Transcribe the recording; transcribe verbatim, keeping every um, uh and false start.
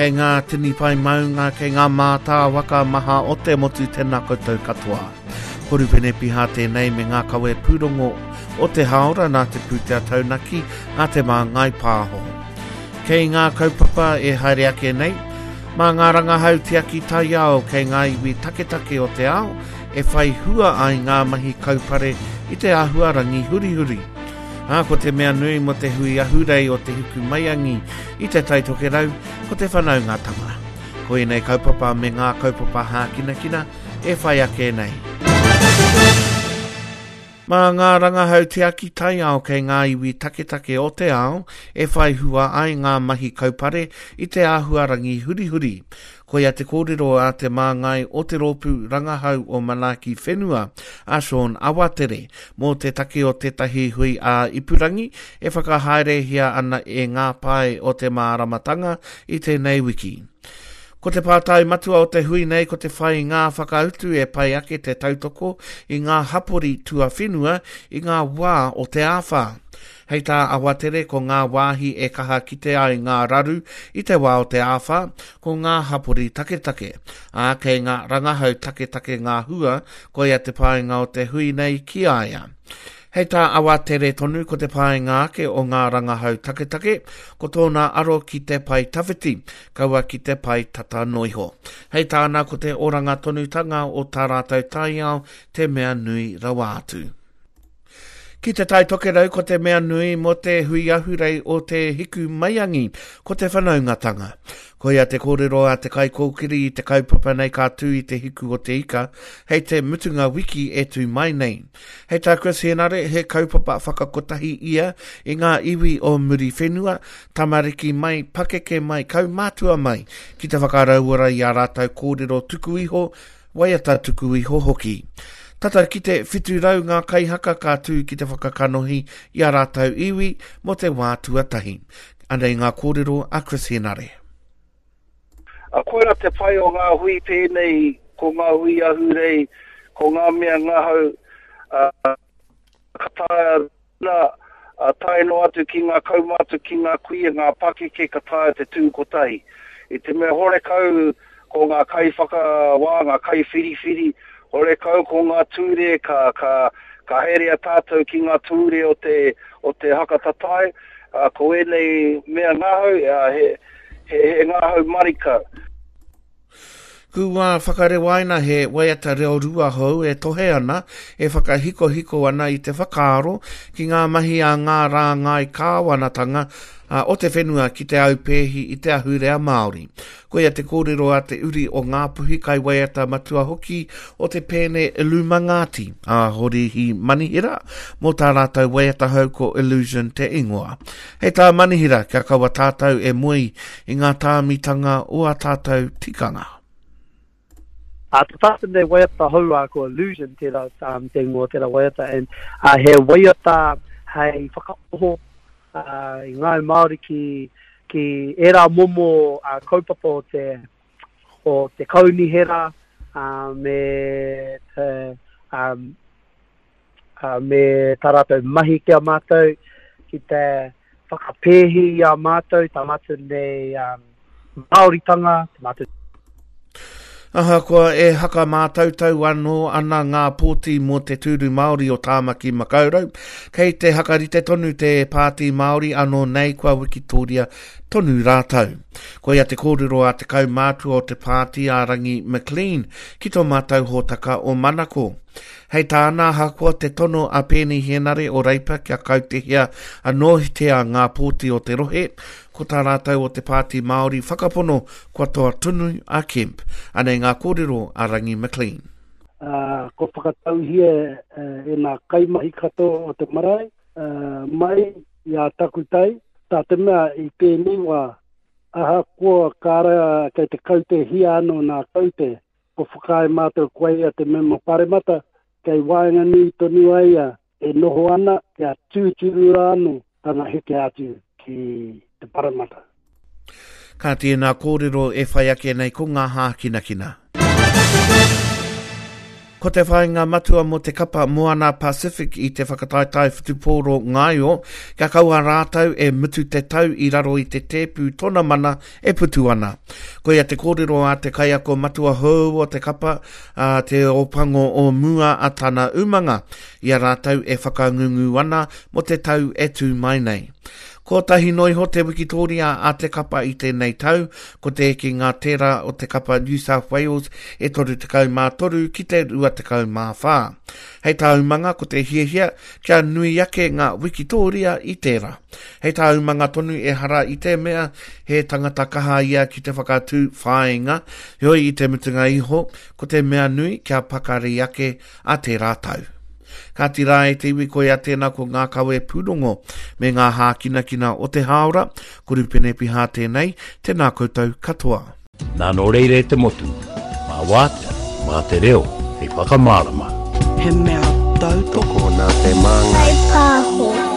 Kei ngā tini pae maunga, kei ngā mātāwaka maha o te motu tēnā koutou katoa. Ko Rupene Piha tēnei me ngā kawe pūrongo o te haora nā te pūtea taunaki a Te Māngai Pāho. Kei ngā kaupapa e haere ake nei, mā ngā rangahau tiaki taiao kei ngā iwi taketake o te ao e whai hua ai ngā mahi kaupare i te āhuarangi hurihuri. Ā, ko te mea nui mō te hui ahurei o Te Hikumaiangi i Te Tai Tokerau, ko te whanaungatanga. Ko ēnei kaupapa me ngā kaupapa hākinakina e whai ake nei. Mā ngā rangahau tiaki taiao kei ngā iwi taketake o te ao e whai hua ai ngā mahi kaupare i te āhuarangi hurihuri. Koia te kōrero a te māngai o te rōpū rangahau o Manaaki Whenua, a Sean Awatere, mō te take o tētahi hui ā-ipurangi e whakahaerehia ana e ngā pae o te māramatanga i tēnei wiki. Ko te pātai matua o te hui nei ko te whai i ngā whakautu e pai ake te tautoko i ngā hapori tuawhenua i ngā wā o te āwhā. Hei tā Awatere ko ngā wāhi e kaha kite ai ngā raru i te wā o te āwhā, ko ngā hapori taketake. Ā, kei ngā rangahau taketake ngā hua, koia te painga o te hui nei ki a ia. Hei tā Awatere tonu ko te painga ake o ngā rangahau taketake, ko tōna aro ki te pae tawhiti, kaua ki te pae tata noa iho. Hei tāna ko te oranga tonutanga o tā rātou taiao te mea nui rawa atu. Ki Te Tai Tokerau ko te mea nui mō te hui ahurei o Te Hikumaiangi, ko te whanaungatanga. Koia te kōrero a te kaikōkiri i te kaupapa nei ka tū i te hiku o te ika, hei te mutunga wiki e tū mai nei. Hei tā Chris Henare, he kaupapa whakakotahi ia i ngā iwi o Muriwhenua, tamariki mai, pakeke mai, kaumātua mai, ki te whakarauora i ā rātou kōrero tuku iho, waiata tuku iho hoki. Tata ki te whitu rau ngā kaihaka ka tū ki te whakakanohi i a rātou iwi mō te wā tuatahi. Anei ngā kōrero a Chris Henare. A koira te pai o ngā hui pēnei, ko ngā hui ahurei, ko ngā mea ngahau, uh, ka taea nā, uh, tae noa atu ki ngā kaumātua, ki ngā kuia, ngā pakeke ka taea te tū kotahi. I te mea horekau ko ngā kaiwhakawā, ngā kaiwhiriwhiri, horekau ko ngā tūre ka, ka, ka herea tātou ki ngā tūre o te, o te haka tatai, uh, ko ēnei mea ngahau, uh, he, he, he ngahau marika. Kua whakarewaina he waiata reo rua hou e tohe ana, e whakahikohiko ana i te whakaaro ki ngā mahi a ngā rāngai kāwanatanga o te whenua ki te aupēhi i te ahurea Māori. Koia te kōrero a te uri o Ngāpuhi kaiwaiata matua hoki o te pēne Illumangāti, a Horihi Manihira, mō tā rātou waiata hou ko Illusion te ingoa. Hei tā Manihira, kia kaua tātou e moe i ngā tāmitanga o ā tātou tikanga. Uh, te tātou nei waiata hou uh, ko Illusion tērā um, te ingoa tērā waiata and uh, he waiata hei whakaoho uh, i ngāi Māori ki, ki ērā momo uh, kaupapa o te, o te kaunihera uh, me te, um, uh, me tā rātou mahi ki a mātou, ki te whakapēhi i a mātou, tā mātou nei um, Māoritanga, tā mātou Ahakoa e haka mātautau anō ana ngā pōti mō te tūru Māori o Tāmaki Makaurau, kei te hakarite tonu te Pāti Māori anō nei kua wikitoria tonu rātou. Koia te kōrero a te kaumātua o te pāti a Rangi McLean ki tō mātou hōtaka o Manako. Hei tāna ahakoa te tono a Peeni Henare o Reipa kia kautehia anōhitea ngā pōti o te rohe, ko tā rātou o te Pāti Māori whakapono kua toa tonu a Kemp. Anei ngā kōrero a Rangi McLean. Uh, ko whakatauhia uh, e ngā kaimahi katoa o te marae, uh, mai i a takutai, tā te mea i tēnei wā, ahakoa kāra kei te kautehia anō nā kaute, ko whakaae mātou ko ia te mema paremata, kei waenganui tonu ai ia e noho ana kia tūturu rā anō tana heke atu ki te paremata. Ka tēnā kōrero e whai ake nei ko ngā hākinakina. Ko te whāinga matua mō te kapa Moana Pacific i te whakataetae whutupōro ngaio, kia kaua rātou e mutu te tau i raro i te tēpu tōna mana e putu ana. Koia te kōrero a te kaiako matua hou o te kapa, a te Ōpango o mua a tana umanga, i a rātou e whakangungu ana mō te tau e tū mai nei. Kotahi noa iho te wikitōria a te kapa i tēnei tau, ko te ekenga tērā o te kapa New South Wales e toru tekau mā toru ki te rua tekau mā whā. Hei tā umanga ko te hiahia kia nui ake ngā wikitōria i tērā. Hei tā umanga tonu ehara i te mea he tangata kaha ia ki te whakatū whāinga, heoi i te mutunga iho, ko te mea nui kia pakari ake a tērā tau. Kāti rā e te iwi koia tēnā ko ngā kawe pūrongo me ngā hākinakina o te hāora, ko Rupene Piha tēnei, tēnā koutou katoa. Nā nō reira e te motu, mā wātea, mā te reo, hei whakamārama. He mea tautoko nā te māngai. Whai pāho.